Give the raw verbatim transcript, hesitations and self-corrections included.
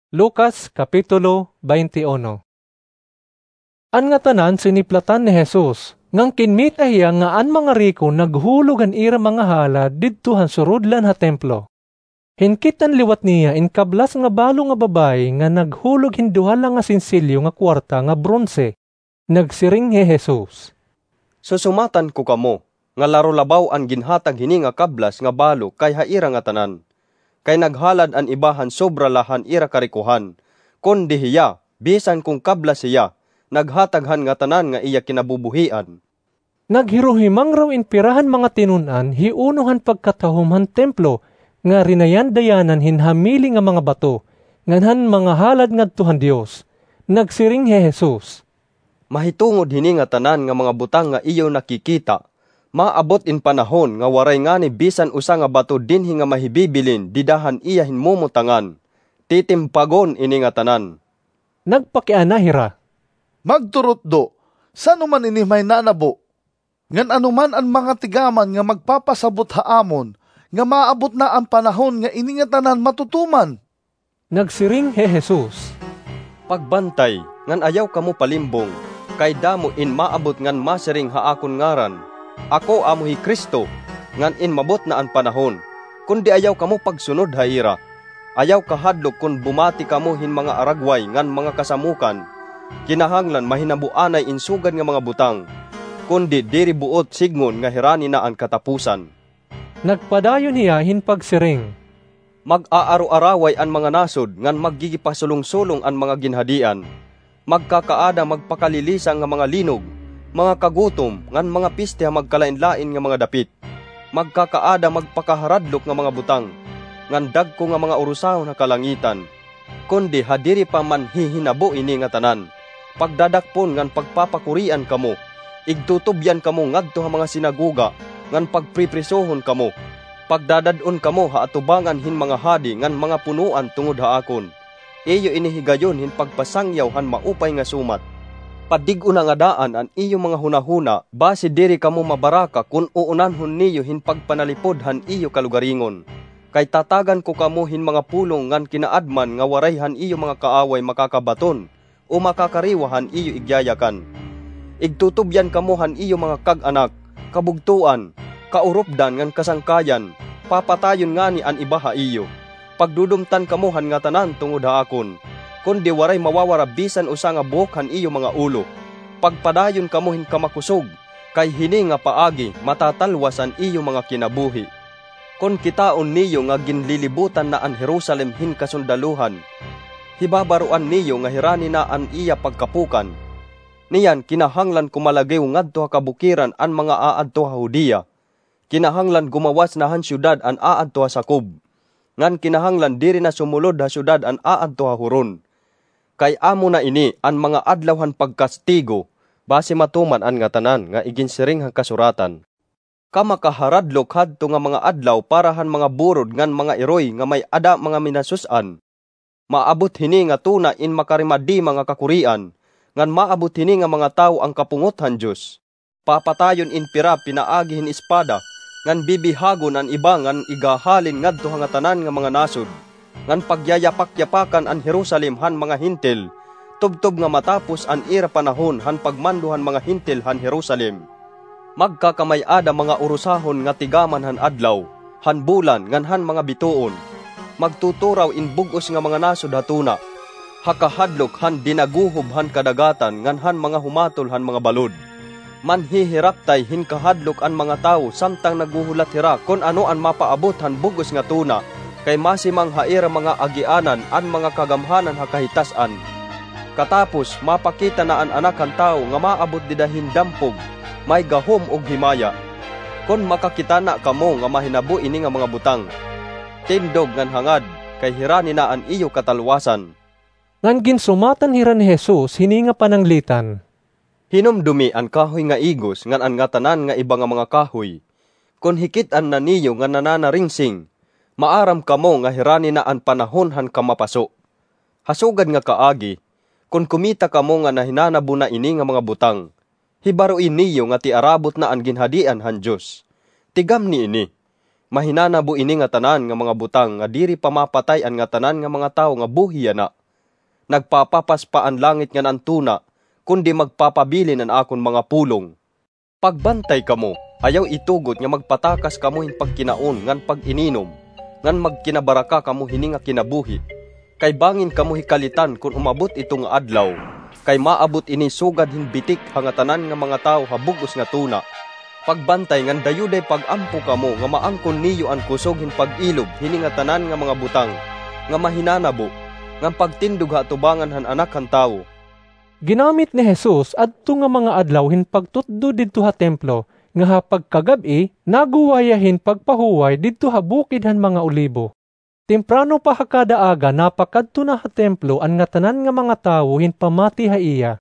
Lucas, Kapitulo twenty-one. An ngatanan siniplatan ni Jesus, ngan kinmita hiya nga an mga riko naghulog han ira mga halad didto han surudlan ha templo. Hinkit-an liwat niya in kablas nga balo nga babaye nga naghulog hin duha la nga sensilyo nga kuwarta nga bronse. Nagsiring hi Jesus, "Susumatan ko kamo, nga laro labaw an ginhatag hini nga kablas nga balo kay ha ira ngatanan. Kay naghalad an iba han sobra la han ira karikohan, kundi hiya, bisan kon kablas hiya, naghatag han ngatanan nga iya kinabubuhian." Naghiruhimang raw in pira han mga tinun-an hi uno han pagkatahom han templo nga rinayan-dayanan hin hamili nga mga bato ngan han mga halad ngadto han Dios. Nagsiring hi Jesus, "Mahitungod hini ngatanan nga mga butang nga iyo nakikita, maabot in panahon nga waray ngani bisan usa nga bato dinhi nga mahibibilin dida han iya hinmumutangan. Titimpagon ini ngatanan." Nagpakiana hira, "Magturutdo, san-o man ini mahinanabo? Ngan ano man an mga tigaman nga magpapasabot ha amon nga maabot na an panahon nga ini ngatanan matutuman?" Nagsiring hi Jesus, "Pagbantay, ngan ayaw kamo palimbong, kay damo in maabot ngan masiring ha akon ngaran, 'Ako amo hi Cristo,' ngan in mabot na an panahon, kundi ayaw kamo pagsunod ha ira. Ayaw kahadlok kon bumati kamo hin mga aragway ngan mga kasamokan. Kinahanglan mahinabo anay in sugad nga mga butang, kundi diri buot sidngon nga hirani na an katapusan." Nagpadayon hiya hin pagsiring, "Mag-aaro-araway an mga nasod ngan maggigipasulong-sulong an mga ginhadian. Magkakaada magpakalilisang nga mga linog, mga kagutom, ngan mga piste ha magkalain-lain nga mga dapit. Magkakaada magpakaharadlok nga mga butang, ngan dagko nga mga urusahon ha kalangitan. Kundi ha diri pa man hihinabo ini ngatanan, pagdadakpon ngan pagpapakurian kamo, igtutubyan kamo ngadto ha mga sinagoga, ngan pagpriprisohon kamo. Pagdadad-on kamo ha atubangan hin mga hadi ngan mga punoan tungod ha akon. Iyo ini higayon hin pagpasangyaw han maupay nga sumat. Padig-ona ngada an iyo mga hunahuna, basi diri kamo mabaraka kon uunanhon niyo hin pagpanalipod han iyo kalugaringon. Kay tatagan ko kamo hin mga pulong ngan kinaadman nga waray han iyo mga kaaway makakabaton o makakariwa han iyo igyayakan. Igtutubyan kamo han iyo mga kag-anak, kabugtoan, kauropdan ngan kasangkayan, papatayon ngani an iba ha iyo. Pagdudumtan kamo han ngatanan tungod ha akon, kundi waray mawawara bisan usa nga buhok han iyo mga ulo. Pagpadayon kamo hin kamakusog, kay hini nga paagi matatalwas an iyo mga kinabuhi. Kon kitaon niyo nga ginlilibutan na an Jerusalem hin kasundaluhan, hibabaroan niyo nga hirani na an iya pagkapukan. Niyan kinahanglan kumalagiw ngadto ha kabukiran an mga aadto ha Judea. Kinahanglan gumawas na han syudad an aadto ha sakob, ngan kinahanglan diri na sumulod ha syudad an aadto ha huron. Kay amo na ini an mga adlaw han pagkastigo, basi matuman an ngatanan nga iginsiring han kasuratan. Kamakaharadlok hadto nga mga adlaw para han mga burod ngan mga iroy nga may-ada mga minasus-an. Maabot hini nga tuna in makarimadima nga kakurian, ngan maabot hini nga mga tawo an kapungot han Dios. Papatayon in pira pinaagi hin espada, ngan bibihagon an iba ngan igahalin ngadto ha ngatanan nga mga nasod, ngan pagyayapak-yapakan an Jerusalem han mga Hentil, tubtob nga matapos an ira panahon han pagmando han mga Hentil han Jerusalem. Magkakamay-ada mga urusahon nga tigaman han adlaw, han bulan, ngan han mga bituon. Magtuturaw in bug-os nga mga nasod ha tuna, ha kahadlok han dinaguhob han kadagatan ngan han mga humatol han mga balod. Manhihiraptay hin kahadlok an mga tawo samtang naghuhulat hira kon ano an mapaabot han bug-os nga tuna, kay masimang ha ira mga agianan an mga kagamhanan ha kahitas-an. Katapos, mapakita na an Anak han Tawo nga maabot dida hin dampog, may gahom ug himaya. Kon makakita na kamo nga mahinabo ini nga mga butang, tindog ngan hangad, kay hirani na an iyo katalwasan. Ngan ginsumatan hira ni Jesus hini nga pananglitan, "Hinumdomi an kahoy nga igos ngan an ngatanan nga iba nga mga kahoy. Kon hikit-an na niyo nga nananaringsing, maaram kamo nga hirani na an panahon han kamapaso. Ha sugad nga kaagi, kon kumita kamo nga nahinanabo na ini nga mga butang, hibaroi niyo nga tiarabot na an Ginhadian han Dios. Tigamni ini, mahinanabo ini ngatanan nga mga butang nga diri pa mapatay an ngatanan nga mga tawo nga buhi yana. nagpapapas pa an langit ngan an tuna, kundi magpapabilin an akon mga pulong. Pagbantay kamo, ayaw itugot nga magpatakas kamo hin pagkinaon ngan pag-ininom, ngan magkinabaraka kamo hini nga kinabuhi. Kay bangin kamo hikalitan kon umabot ito nga adlaw, kay maabot ini sugad hin bitik ha ngatanan nga mga tawo ha bug-os nga tuna. Pagbantay ngan dayo day pag-ampo kamo nga maangkon niyo an kusog hin pag-ilob hini ngatanan nga mga butang nga mahinanabo, ngan pagtindog ha atubangan han Anak han Tawo. Ginamit ni Jesus adto nga mga adlaw hin pagtutdo didto ha templo, nga ha pagkagab-i, naguwa hiya hin pagpahuway didto ha Bukid han mga Olibo. Temprano pa ha kada aga napakadto na ha templo an ngatanan nga mga tawo hin pamati ha iya.